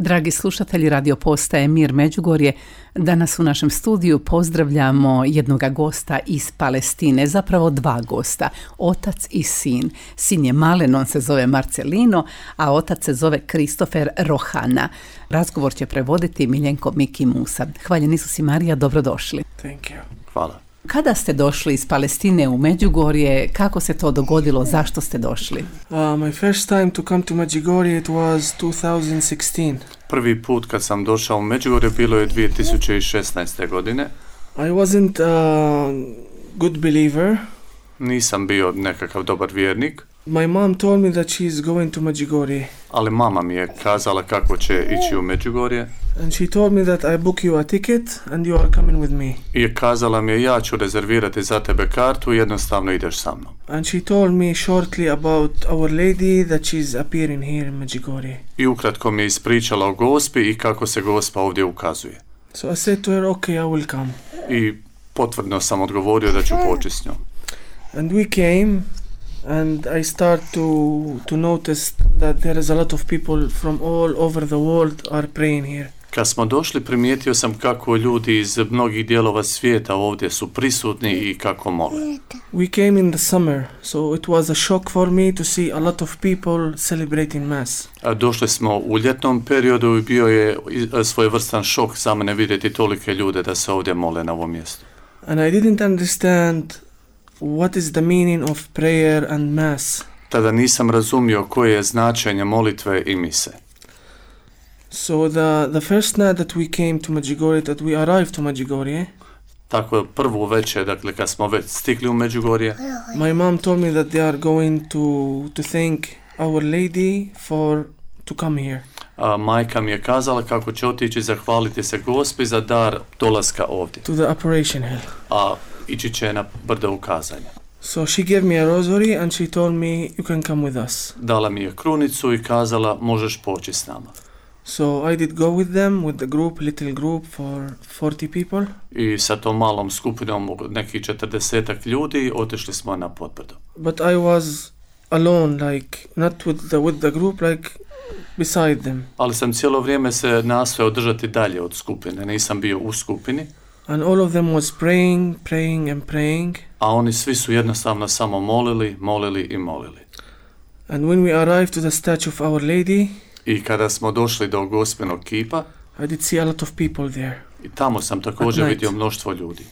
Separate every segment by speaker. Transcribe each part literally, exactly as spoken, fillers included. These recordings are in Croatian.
Speaker 1: Dragi slušatelji radio postaje Mir Međugorje, danas u našem studiju pozdravljamo jednoga gosta iz Palestine, zapravo dva gosta, otac i sin. Sin je malen, on se zove Marcelino, a otac se zove Kristofer Rohana. Razgovor će prevoditi Miljenko Miki Musa. Hvaljen Isus i Marija, dobrodošli.
Speaker 2: Thank you.
Speaker 3: Hvala.
Speaker 1: Kada ste došli iz Palestine u Međugorje, kako se to dogodilo, zašto ste došli?
Speaker 2: Uh, my first time to come to Medjugorje it was two thousand sixteen.
Speaker 3: Prvi put kad sam došao u Međugorje bilo je dvije tisuće šesnaeste. godine.
Speaker 2: I wasn't a good believer.
Speaker 3: Nisam bio nekakav dobar vjernik,
Speaker 2: My mom told me that she is going to Medjugorje.
Speaker 3: ali mama mi je kazala kako će ići u Međugorje
Speaker 2: And she told me that I book you a ticket and you are coming with me.
Speaker 3: i kazala mi je ja ću rezervirati za tebe kartu i jednostavno ideš sa mnom.
Speaker 2: And she told me shortly about Our Lady that she's appearing here in Medjugorje.
Speaker 3: I ukratko mi je ispričala o Gospi i kako se Gospa ovdje ukazuje.
Speaker 2: So I said to her, okay, I will come.
Speaker 3: I potvrdno sam odgovorio da ću poći s njom.
Speaker 2: And we came and I start to to notice that there is a lot of people from all over the world are praying here.
Speaker 3: Kad smo došli primijetio sam kako ljudi iz mnogih dijelova svijeta ovdje su prisutni i kako mole.
Speaker 2: We came in the summer, so it was a shock for me to see a lot of people celebrating Mass.
Speaker 3: A došli smo u ljetnom periodu i bio je svojevrstan šok za mene vidjeti tolike ljude da se ovdje mole na ovom mjestu.
Speaker 2: And I didn't understand what is the meaning of prayer and Mass.
Speaker 3: Tada nisam razumio koje je značenje molitve i mise.
Speaker 2: So the, the first night that we came to Medjugorje, that we arrived to Medjugorje,
Speaker 3: Tako prvu večer, dakle kad smo već stigli u Međugorje,
Speaker 2: my mom told me that they are going to, to thank Our Lady for to come here.
Speaker 3: a majka mi je kazala kako će otići zahvaliti se Gospi za dar dolaska ovdje,
Speaker 2: To the Operation Hill.
Speaker 3: a ići će na brdo ukazanja.
Speaker 2: So she gave me a rosary and she told me you can come with us.
Speaker 3: Dala mi je krunicu i kazala možeš poći s nama.
Speaker 2: So I did go with them, with the group, little group for forty people.
Speaker 3: I sa tom malom skupinom od nekih četrdesetak ljudi otišli smo na potbrdo.
Speaker 2: But I was alone, like not with the with the group, like beside them.
Speaker 3: Ali sam cijelo vrijeme se nastojao držati dalje od skupine, nisam bio u skupini,
Speaker 2: And all of them was praying, praying and praying.
Speaker 3: a oni svi su jednostavno samo molili, molili i molili.
Speaker 2: And when we arrived to the statue of Our Lady,
Speaker 3: I kada smo došli do Gospinog kipa,
Speaker 2: I did see a lot of people there.
Speaker 3: i tamo sam također
Speaker 2: At night.
Speaker 3: vidio mnoštvo ljudi.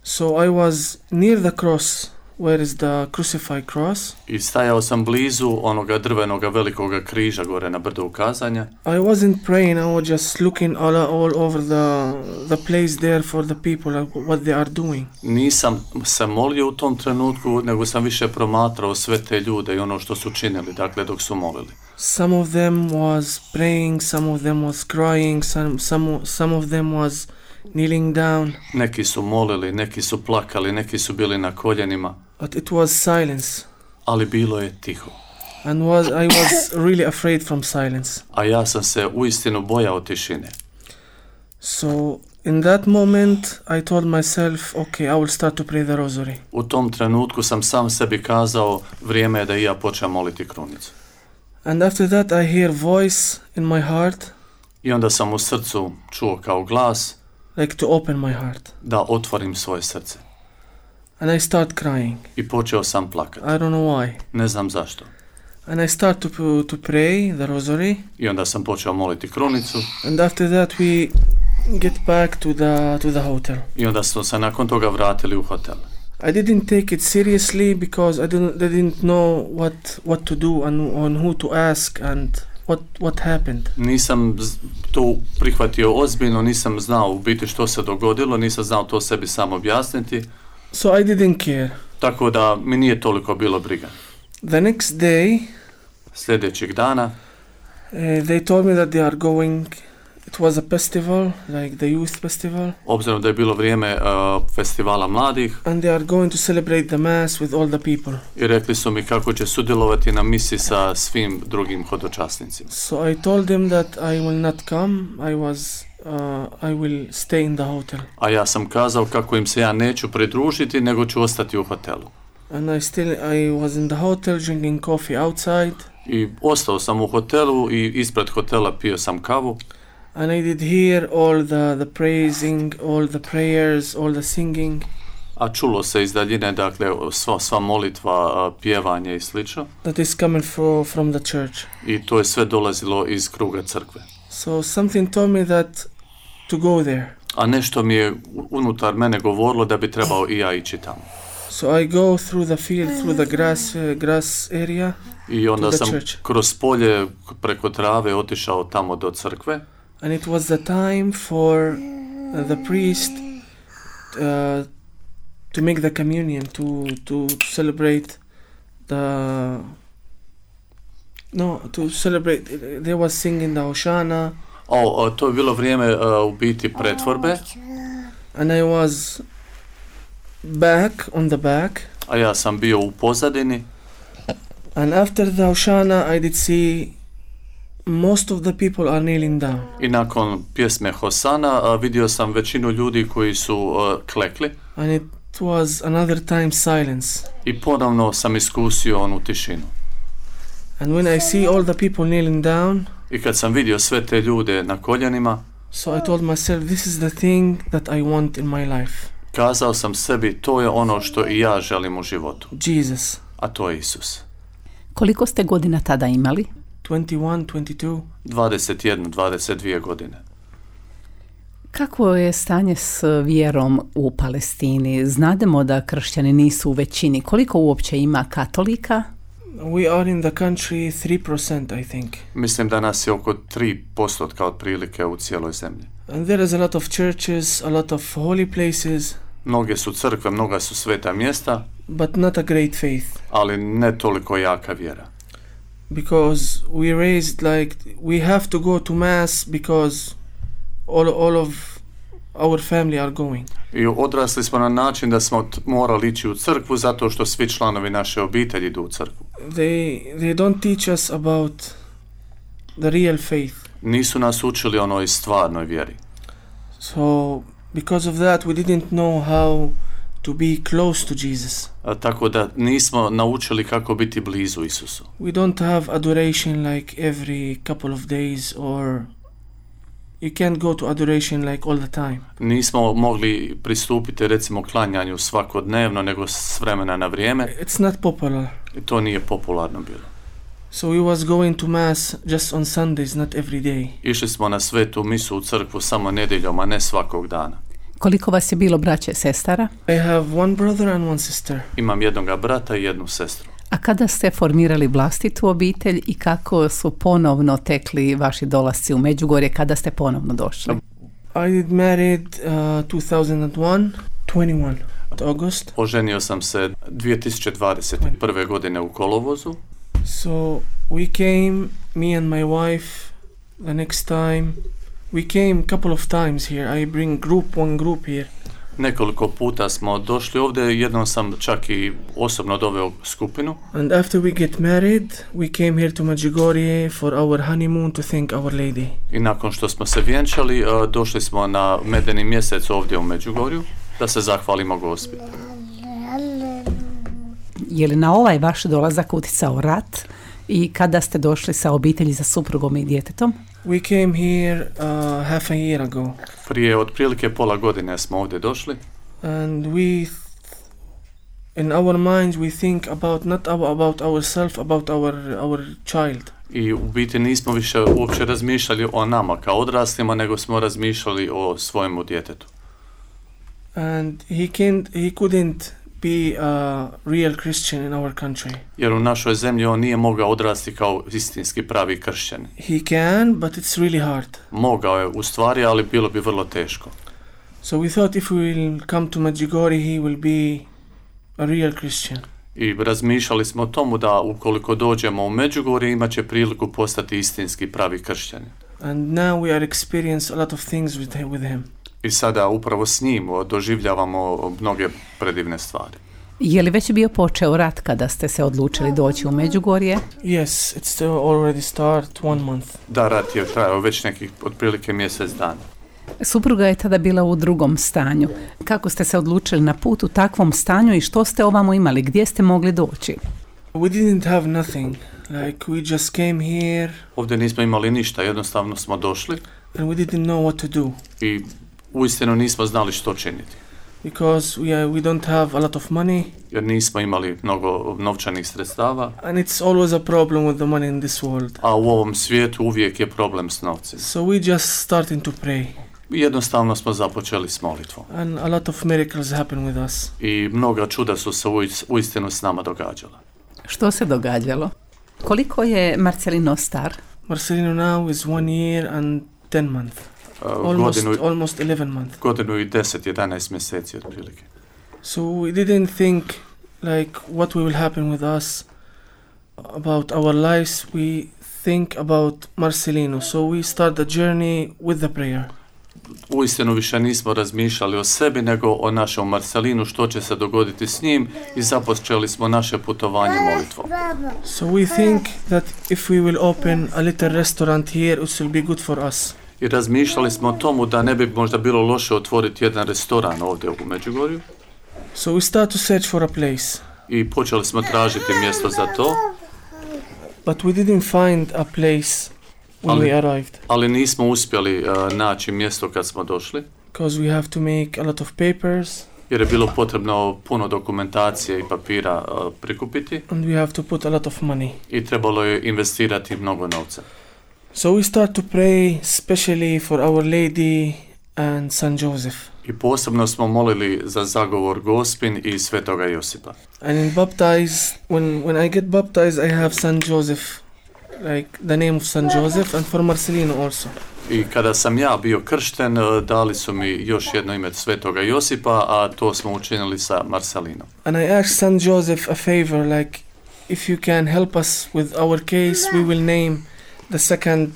Speaker 2: So I was near the cross, where is the crucified cross.
Speaker 3: I stajao sam blizu onoga drvenoga velikoga križa gore na brdu ukazanja.
Speaker 2: I wasn't praying, I was just looking all, all over the the place there for the people, like what they are doing.
Speaker 3: Nisam se molio u tom trenutku, nego sam više promatrao sve te ljude i ono što su činili, dakle dok su molili.
Speaker 2: Some of them was praying, some of them was crying, some some some of them was kneeling down,
Speaker 3: Neki su molili, neki su plakali, neki su bili na koljenima,
Speaker 2: but it was silence.
Speaker 3: ali bilo je tiho.
Speaker 2: And was I was really afraid from silence.
Speaker 3: A ja sam se uistinu bojao tišine.
Speaker 2: So in that moment I told myself, okay, I will start to pray the rosary.
Speaker 3: U tom trenutku sam sam sebi kazao, vrijeme je da i ja počnem moliti krunicu.
Speaker 2: And after that I hear voice in my heart,
Speaker 3: I onda sam u srcu čuo kao glas
Speaker 2: like to open my heart.
Speaker 3: da otvorim svoje srce.
Speaker 2: And I start crying.
Speaker 3: I počeo sam plakati.
Speaker 2: I don't know why.
Speaker 3: Ne znam zašto.
Speaker 2: And I start to to pray the rosary.
Speaker 3: I onda sam počeo moliti krunicu.
Speaker 2: And after that we get back to the to the hotel.
Speaker 3: I onda smo se nakon toga vratili u hotel.
Speaker 2: I didn't take it seriously because I didn't I didn't know what what to do and on who to ask and what what happened.
Speaker 3: Nisam z- to prihvatio ozbiljno, nisam znao u biti što se dogodilo, nisam znao to sebi sam objasniti,
Speaker 2: So I didn't care.
Speaker 3: tako da mi nije toliko bilo briga.
Speaker 2: The next day,
Speaker 3: Sljedećeg dana
Speaker 2: uh, they told me that they are going. It was a festival, like the youth festival,
Speaker 3: obzirom da je bilo vrijeme uh, festivala mladih,
Speaker 2: and they are going to celebrate the mass with all the people.
Speaker 3: i rekli su mi kako će sudjelovati na misi sa svim drugim hodočasnicima.
Speaker 2: So I told them that I will not come. I was, uh, I will stay in the hotel.
Speaker 3: A ja sam kazao kako im se ja neću pridružiti, nego ću ostati u hotelu.
Speaker 2: And I still, I was in the hotel drinking coffee outside.
Speaker 3: I ostao sam u hotelu i ispred hotela pio sam kavu.
Speaker 2: And I did hear all the, the praising, all the prayers, all the singing.
Speaker 3: A čulo se iz daljine, dakle, sva, sva molitva, pjevanje i slično.
Speaker 2: That is coming for, from the church.
Speaker 3: I to je sve dolazilo iz kruga crkve.
Speaker 2: So something told me that to go there.
Speaker 3: A nešto mi je unutar mene govorilo da bi trebao i ja ići tamo.
Speaker 2: So I go through the field, through the grass, uh, grass area.
Speaker 3: I onda sam
Speaker 2: church.
Speaker 3: kroz polje preko trave otišao tamo do crkve.
Speaker 2: And it was the time for uh, the priest uh, to make the communion, to to celebrate the no to celebrate. They was singing the Hoshana.
Speaker 3: O, o, to je bilo vrijeme uh, u biti pretvorbe.
Speaker 2: And I was back on the back.
Speaker 3: A ja sam bio u pozadini.
Speaker 2: And after the Hoshana, I did see most of the people are kneeling down.
Speaker 3: I nakon pjesme Hosana uh, vidio sam većinu ljudi koji su uh, klekli.
Speaker 2: And it was another time silence.
Speaker 3: I ponovno sam iskusio onu tišinu.
Speaker 2: And when I see all the people kneeling down,
Speaker 3: I kad sam vidio sve te ljude na koljenima,
Speaker 2: so I told myself, this is the thing that I want in my life.
Speaker 3: Kazao sam sebi, to je ono što i ja želim u životu.
Speaker 2: Jesus.
Speaker 3: A to je Isus.
Speaker 1: Koliko ste godina tada imali?
Speaker 2: twenty-one, twenty-two.
Speaker 3: dvadeset jedna, dvadeset dvije godine.
Speaker 1: Kako je stanje s vjerom u Palestini? Znademo da kršćani nisu u većini. Koliko uopće ima katolika?
Speaker 2: We are in the country three percent, I think.
Speaker 3: Mislim da nas je oko tri posto otprilike u cijeloj zemlji.
Speaker 2: And there is a lot of churches, a lot of holy places.
Speaker 3: Mnoge su crkve, mnoga su sveta mjesta,
Speaker 2: but not a great faith.
Speaker 3: Ali ne toliko jaka vjera.
Speaker 2: Because we raised like we have to go to mass because all all of our family are going.
Speaker 3: I odrasli smo na način da smo t- morali ići u crkvu zato što svi članovi naše obitelji idu u crkvu.
Speaker 2: They they don't teach us about the real faith.
Speaker 3: Nisu nas učili onoj stvarnoj vjeri.
Speaker 2: So because of that we didn't know how to be close to Jesus.
Speaker 3: A, tako da nismo naučili kako biti blizu Isusu.
Speaker 2: We don't have adoration like every couple of days, or you can't go to adoration like all the time.
Speaker 3: Nismo mogli pristupiti recimo klanjanju svakodnevno, nego s vremena na vrijeme.
Speaker 2: It's not popular.
Speaker 3: I to nije popularno bilo.
Speaker 2: So we was going to mass just on Sundays, not every day.
Speaker 3: Išli smo na svetu misu u crkvu samo nedjeljom, a ne svakog dana.
Speaker 1: Koliko vas je bilo braće, sestara?
Speaker 2: I have one brother and one sister.
Speaker 3: Imam jednoga brata i jednu sestru.
Speaker 1: A kada ste formirali vlastitu obitelj i kako su ponovno tekli vaši dolasci u Međugorje, kada ste ponovno došli?
Speaker 2: I did married uh, two thousand one, twenty-one August.
Speaker 3: Oženio sam se dvije tisuće dvadeset prve godine u kolovozu.
Speaker 2: So we came, me and my wife, the next time. We came a couple of times here. I bring group, one group here.
Speaker 3: Nekoliko puta smo došli ovdje, jednom sam čak i osobno doveo skupinu.
Speaker 2: And after we get married, we came here to Medjugorje for our honeymoon to thank Our Lady.
Speaker 3: I nakon što smo se vjenčali, došli smo na medeni mjesec ovdje u Međugorju da se zahvalimo Gospi.
Speaker 1: Je li na ovaj vaš dolazak utjecao rat i kada ste došli sa obitelji, sa suprugom i djetetom?
Speaker 2: We came here uh, half a year ago.
Speaker 3: Prije otprilike pola godine smo ovdje došli.
Speaker 2: And we, in our minds, we think about not about ourselves, about our our child.
Speaker 3: I u biti nismo više uopće razmišljali o nama kao odraslima, nego smo razmišljali o svojemu djetetu.
Speaker 2: And he can't, he couldn't be a real Christian in our country.
Speaker 3: Jer u našoj zemlji on nije mogao odrasti kao istinski pravi kršćanin.
Speaker 2: He can, but it's really hard.
Speaker 3: Mogao je u stvari, ali bilo bi vrlo teško.
Speaker 2: So we thought if we will come to Medjugorje, he will be a real Christian.
Speaker 3: I razmišljali smo o tomu da ukoliko dođemo u Međugorje imat će priliku postati istinski pravi kršćanin.
Speaker 2: And now we are experiencing a lot of things with him. With him.
Speaker 3: I sada upravo s njim doživljavamo mnoge predivne stvari.
Speaker 1: Je li već bio počeo rat kada ste se odlučili doći u Međugorje?
Speaker 2: Yes, it's already start one month.
Speaker 3: Da, rat je trajao već nekih otprilike mjesec dana.
Speaker 1: Supruga je tada bila u drugom stanju. Kako ste se odlučili na put u takvom stanju i što ste ovamo imali? Gdje ste mogli doći?
Speaker 2: We didn't have nothing. Like we just came here
Speaker 3: Ovdje nismo imali ništa, jednostavno smo došli
Speaker 2: and we didn't know what to do
Speaker 3: i uistinu nismo znali što činiti.
Speaker 2: because we are, we don't have a lot of money
Speaker 3: Jer nismo imali mnogo novčanih sredstava,
Speaker 2: and it's always a problem with the money in this world.
Speaker 3: a u ovom svijetu uvijek je problem s novcem.
Speaker 2: So we just starting to pray
Speaker 3: I jednostavno smo započeli s molitvom.
Speaker 2: and a lot of miracles happen with us.
Speaker 3: I mnoga čuda su se uis- uistinu s nama događala.
Speaker 1: Što se događalo? Koliko je Marcelino star?
Speaker 2: Marcelino now is one year and ten months.
Speaker 3: Uh,
Speaker 2: Almost,
Speaker 3: godinu,
Speaker 2: almost eleven months.
Speaker 3: godinu i deset, jedanaest mjeseci otprilike.
Speaker 2: So we didn't think like what will happen with us about our lives. We think about Marcelino. So we start the journey with the prayer.
Speaker 3: Uistinu više nismo razmišljali o sebi nego o našem Marcelinu, što će se dogoditi s njim, i započeli smo naše putovanje molitvom.
Speaker 2: So we think that if we will open a little restaurant here, it will be good for us.
Speaker 3: I razmišljali smo o tomu da ne bi možda bilo loše otvoriti jedan restoran ovdje u Međugorju.
Speaker 2: So we start to search for a place,
Speaker 3: I počeli smo tražiti mjesto za to,
Speaker 2: but we didn't find a place when
Speaker 3: Ali-
Speaker 2: we arrived
Speaker 3: ali nismo uspjeli uh, naći mjesto kad smo došli,
Speaker 2: because we have to make a lot of papers
Speaker 3: jer je bilo potrebno puno dokumentacije i papira uh, prikupiti
Speaker 2: and we have to put a lot of money.
Speaker 3: i trebalo je investirati mnogo novca.
Speaker 2: So we start to pray especially for Our Lady and Saint Joseph.
Speaker 3: I posebno smo molili za zagovor Gospin i Svetoga Josipa.
Speaker 2: And in baptize, when, when I get baptized, I have Saint Joseph, like the name of Saint Joseph, and for Marcelino also.
Speaker 3: I kada sam ja bio kršten, uh, dali su mi još jedno ime Svetoga Josipa, a to smo učinili sa Marcelinom.
Speaker 2: And I asked Saint Joseph a favor, like, if you can help us with our case, we will name the second,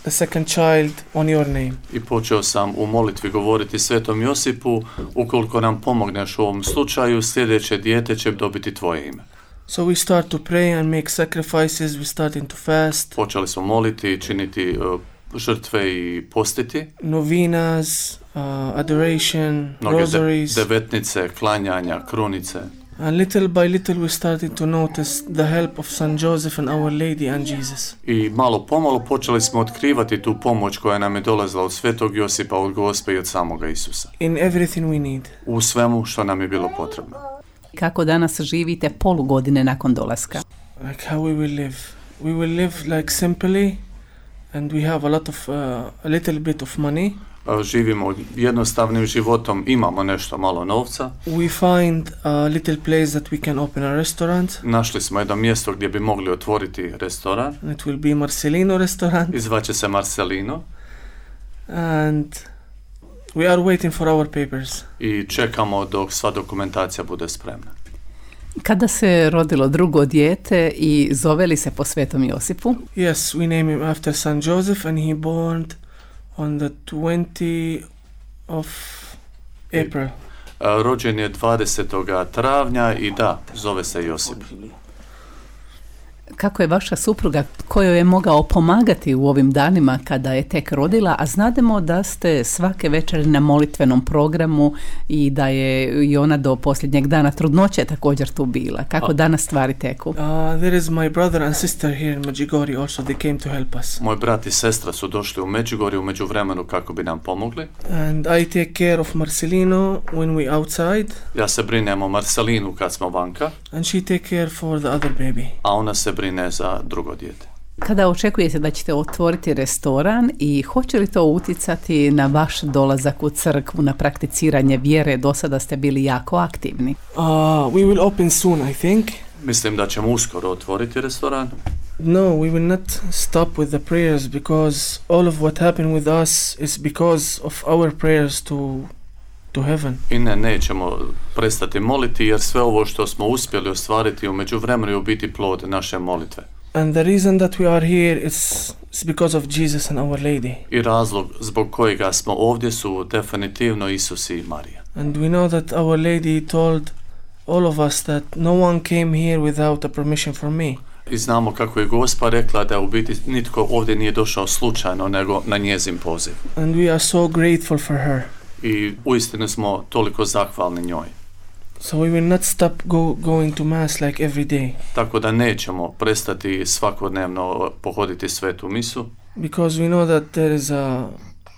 Speaker 2: the second child on your name.
Speaker 3: I počeo sam u molitvi govoriti Svetom Josipu, ukoliko nam pomogneš u ovom slučaju, sljedeće dijete će dobiti tvoje ime.
Speaker 2: So we start to pray and make sacrifices. We starting to fast,
Speaker 3: Počeli smo moliti, činiti uh, žrtve i postiti,
Speaker 2: novenas, uh, adoration,
Speaker 3: mnoge de-
Speaker 2: rosaries.
Speaker 3: devetnice, klanjanja, krunice.
Speaker 2: And little by little we started to notice the help of Saint Joseph and Our Lady and Jesus.
Speaker 3: I malo pomalo počeli smo otkrivati tu pomoć koja nam je dolazila od Svetog Josipa, od Gospe i od samoga Isusa.
Speaker 2: In everything we need.
Speaker 3: U svemu što nam je bilo potrebno.
Speaker 1: Kako danas živite polugodine nakon dolaska?
Speaker 2: Like how we will live. We will live like simply and we have a lot of, uh, a little bit of money.
Speaker 3: A, Živimo jednostavnim životom, imamo nešto malo novca.
Speaker 2: We find a little place that we can open a restaurant.
Speaker 3: Našli smo jedno mjesto gdje bi mogli otvoriti restoran.
Speaker 2: And it will be Marcelino restaurant.
Speaker 3: I zvaće se Marcelino.
Speaker 2: And we are waiting for our papers.
Speaker 3: I čekamo dok sva dokumentacija bude spremna.
Speaker 1: Kada se rodilo drugo dijete i zove li se po Svetom Josipu?
Speaker 2: Yes, we name him after Saint Joseph and he born on the twentieth of April.
Speaker 3: A, Rođen je dvadesetog travnja i da, zove se Josip.
Speaker 1: Kako je vaša supruga, kojoj je mogao pomagati u ovim danima kada je tek rodila, a znademo da ste svake večeri na molitvenom programu i da je i ona do posljednjeg dana trudnoće također tu bila. Kako danas stvari teku?
Speaker 2: Uh, there is my brother and sister here in Medjugorje also. They came to help us.
Speaker 3: Moj brat i sestra su došli u Međugorje u međuvremenu kako bi nam pomogli.
Speaker 2: And I take care of Marcelino when we outside
Speaker 3: Ja se brinem o Marcelinu kad smo vanka,
Speaker 2: and she take care for the other baby.
Speaker 3: a ona se brine za drugo dijete.
Speaker 1: Kada očekujete da ćete otvoriti restoran i hoće li to utjecati na vaš dolazak u crkvu, na prakticiranje vjere? Do sada ste bili jako aktivni.
Speaker 2: Uh, we will open soon, I think.
Speaker 3: Mislim da ćemo uskoro otvoriti restoran.
Speaker 2: No, we will not stop with the prayers because all of what happened with us is because of our prayers to to heaven.
Speaker 3: I ne, nećemo prestati moliti jer sve ovo što smo uspjeli ostvariti u međuvremenu je u biti plod naše molitve.
Speaker 2: And the reason that we are here is, is because of Jesus and Our Lady.
Speaker 3: I razlog zbog kojega smo ovdje su definitivno Isus i Marija.
Speaker 2: And we know that Our Lady told all of us that no one came here without a permission from me.
Speaker 3: I znamo kako je Gospa rekla da u biti nitko ovdje nije došao slučajno nego na njezin poziv.
Speaker 2: And we are so grateful for her.
Speaker 3: I uistinu smo toliko zahvalni njoj.
Speaker 2: So we will not stop go, going to mass like every day.
Speaker 3: Tako da nećemo prestati svakodnevno pohoditi svetu misu.
Speaker 2: Because we know that there is a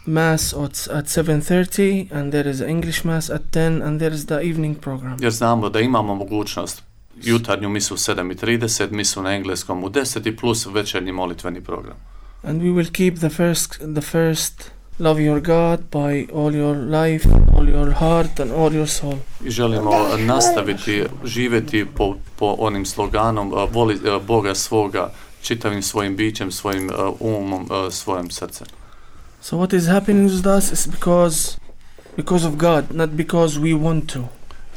Speaker 2: mass at, at seven thirty and there is an English mass at ten and there is the evening program.
Speaker 3: Jer znamo da imamo mogućnost jutarnju misu u sedam i trideset, misu na engleskom u deset i plus večernji molitveni program.
Speaker 2: And we will keep the first the first love your God by all your life, all your heart and all your soul.
Speaker 3: I želimo nastaviti živjeti po, po onim sloganom uh, voli uh, Boga svoga čitavim svojim bićem, svojim uh, umom, uh, svojim srcem.
Speaker 2: So what is happening with us is because because of God, not because we want to.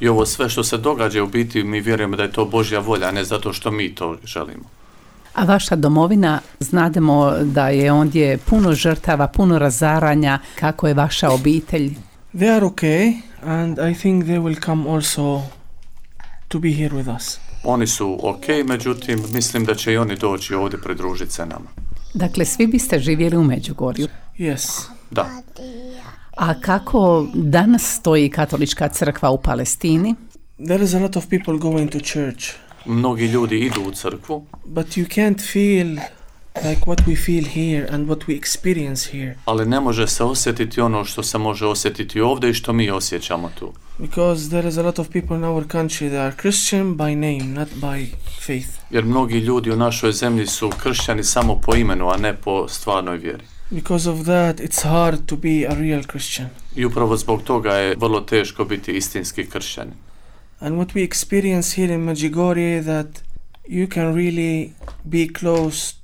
Speaker 3: I ovo sve što se događa u biti mi vjerujemo da je to Božja volja, a ne zato što mi to želimo.
Speaker 1: A vaša domovina, znademo da je ondje puno žrtava, puno razaranja. Kako je vaša obitelj?
Speaker 2: They are okay and I think they will come also to be here with us.
Speaker 3: Oni su ok, međutim mislim da će i oni doći ovdje pridružiti se nama.
Speaker 1: Dakle, svi biste živjeli u Međugorju?
Speaker 2: Yes.
Speaker 3: Da.
Speaker 1: A kako danas stoji katolička crkva u Palestini?
Speaker 2: There is a lot of people going to church.
Speaker 3: Mnogi ljudi idu u crkvu.
Speaker 2: But you can't feel like what we feel here and what we experience here.
Speaker 3: Ali ne može se osjetiti ono što se može osjetiti ovdje i što mi osjećamo tu.
Speaker 2: Because there is a lot of people in our country that are Christian by name, not by faith.
Speaker 3: Jer mnogi ljudi u našoj zemlji su kršćani samo po imenu, a ne po stvarnoj vjeri.
Speaker 2: Because of that, it's hard to be a real Christian.
Speaker 3: I upravo zbog toga je vrlo teško biti istinski kršćanin.
Speaker 2: And what we experience here in Medjugorje that you can really be close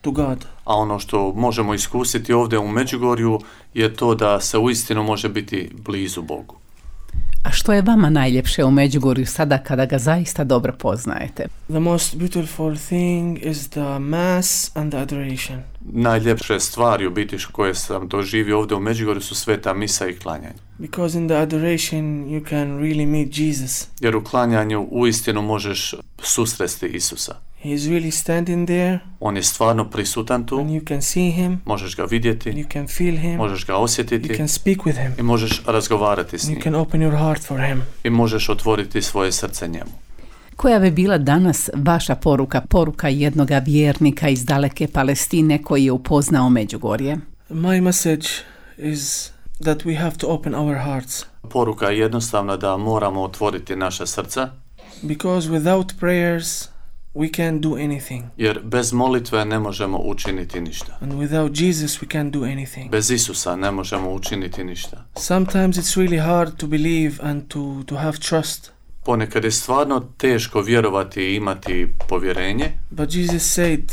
Speaker 2: to God.
Speaker 3: A ono što možemo iskusiti ovdje u Međugorju je to da se uistinu može biti blizu Bogu.
Speaker 1: A što je vama najljepše u Međugorju sada kada ga zaista dobro poznajete?
Speaker 2: The most beautiful thing is the mass and the adoration.
Speaker 3: Najljepše stvari u biti koje sam doživio ovdje u Međugorju su sveta misa i klanjanje.
Speaker 2: Because in the adoration you can really meet Jesus.
Speaker 3: Jer u klanjanju uistinu možeš susresti Isusa.
Speaker 2: He is really standing there.
Speaker 3: On je stvarno prisutan tu.
Speaker 2: And you can see him.
Speaker 3: Možeš ga vidjeti.
Speaker 2: You can feel him.
Speaker 3: Možeš ga osjetiti.
Speaker 2: You can speak with him.
Speaker 3: I možeš razgovarati s njim.
Speaker 2: You can open your heart for him.
Speaker 3: I možeš otvoriti svoje srce njemu.
Speaker 1: Koja bi bila danas vaša poruka, poruka jednoga vjernika iz daleke Palestine koji je upoznao Međugorje?
Speaker 2: My message is that we have to open our hearts.
Speaker 3: Poruka je jednostavna da moramo otvoriti naša srca.
Speaker 2: Because without prayers we can't do anything.
Speaker 3: Jer bez molitve ne možemo učiniti ništa.
Speaker 2: And without Jesus we can't do anything.
Speaker 3: Bez Isusa ne možemo učiniti ništa.
Speaker 2: Sometimes it's really hard to believe and to to have trust.
Speaker 3: Ponekad je stvarno teško vjerovati i imati povjerenje.
Speaker 2: But Jesus said,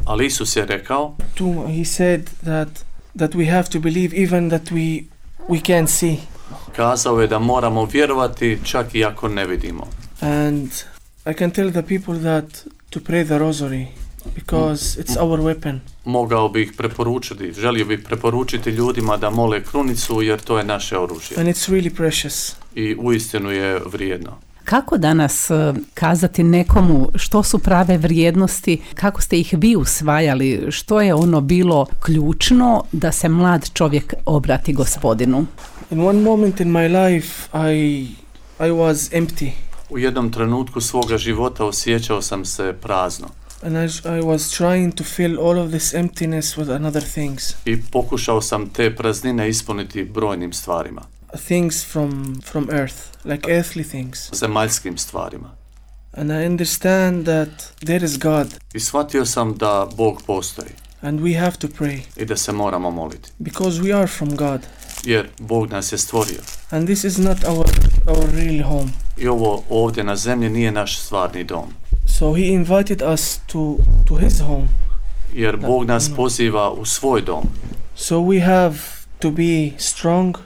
Speaker 3: ali Isus je rekao,
Speaker 2: to, he said that that we have to believe even that we we can't see.
Speaker 3: Kazao je da moramo vjerovati čak i ako ne vidimo.
Speaker 2: And I can tell the people that to pray the rosary because it's our weapon.
Speaker 3: Mogao bih preporučiti, želio bih preporučiti ljudima da mole krunicu jer to je naše oružje.
Speaker 2: And it's really precious.
Speaker 3: I uistinu je vrijedno.
Speaker 1: Kako danas kazati nekomu što su prave vrijednosti, kako ste ih vi usvajali, što je ono bilo ključno da se mlad čovjek obrati Gospodinu?
Speaker 2: In one moment in my life I I was empty.
Speaker 3: U jednom trenutku svoga života osjećao sam se prazno.
Speaker 2: And I, I was trying to fill all of this emptiness with another things.
Speaker 3: I pokušao sam te praznine ispuniti brojnim stvarima.
Speaker 2: Things from from earth, like earthly things.
Speaker 3: Zemaljskim stvarima.
Speaker 2: And I understand that there is God.
Speaker 3: I shvatio sam da Bog postoji.
Speaker 2: And we have to pray.
Speaker 3: I da se moramo moliti.
Speaker 2: Because we are from God.
Speaker 3: Jer Bog nas je stvorio.
Speaker 2: And this is not our our real home.
Speaker 3: I ovo ovdje na zemlji nije naš stvarni dom.
Speaker 2: So he invited us to to his home.
Speaker 3: Jer Bog nas poziva u svoj dom.
Speaker 2: So we have to be strong.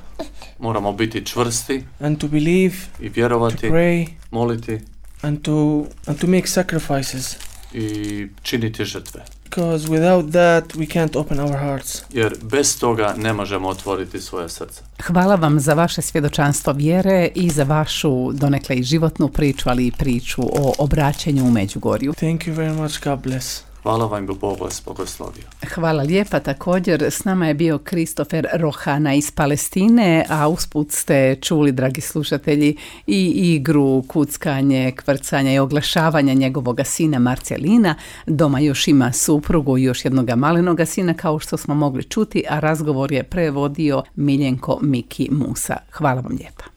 Speaker 3: Moramo biti čvrsti.
Speaker 2: And to believe.
Speaker 3: I vjerovati.
Speaker 2: To pray.
Speaker 3: Moliti.
Speaker 2: And to and to make sacrifices.
Speaker 3: I činiti žrtve.
Speaker 2: Because without that we can't open our hearts.
Speaker 3: Jer bez toga ne možemo otvoriti svoje srce.
Speaker 1: Hvala vam za vaše svjedočanstvo vjere i za vašu donekle i životnu priču, ali i priču o obraćanju u Međugorju.
Speaker 2: Thank you very much. God bless.
Speaker 3: Hvala vam, Bog vas blagoslovio.
Speaker 1: Hvala lijepa. Također s nama je bio Kristofer Rohana iz Palestine, a usput ste čuli, dragi slušatelji, i igru, kuckanje, kvrcanje i oglašavanja njegovoga sina Marcelina. Doma još ima suprugu i još jednoga malenoga sina, kao što smo mogli čuti, a razgovor je prevodio Miljenko Miki Musa. Hvala vam lijepa.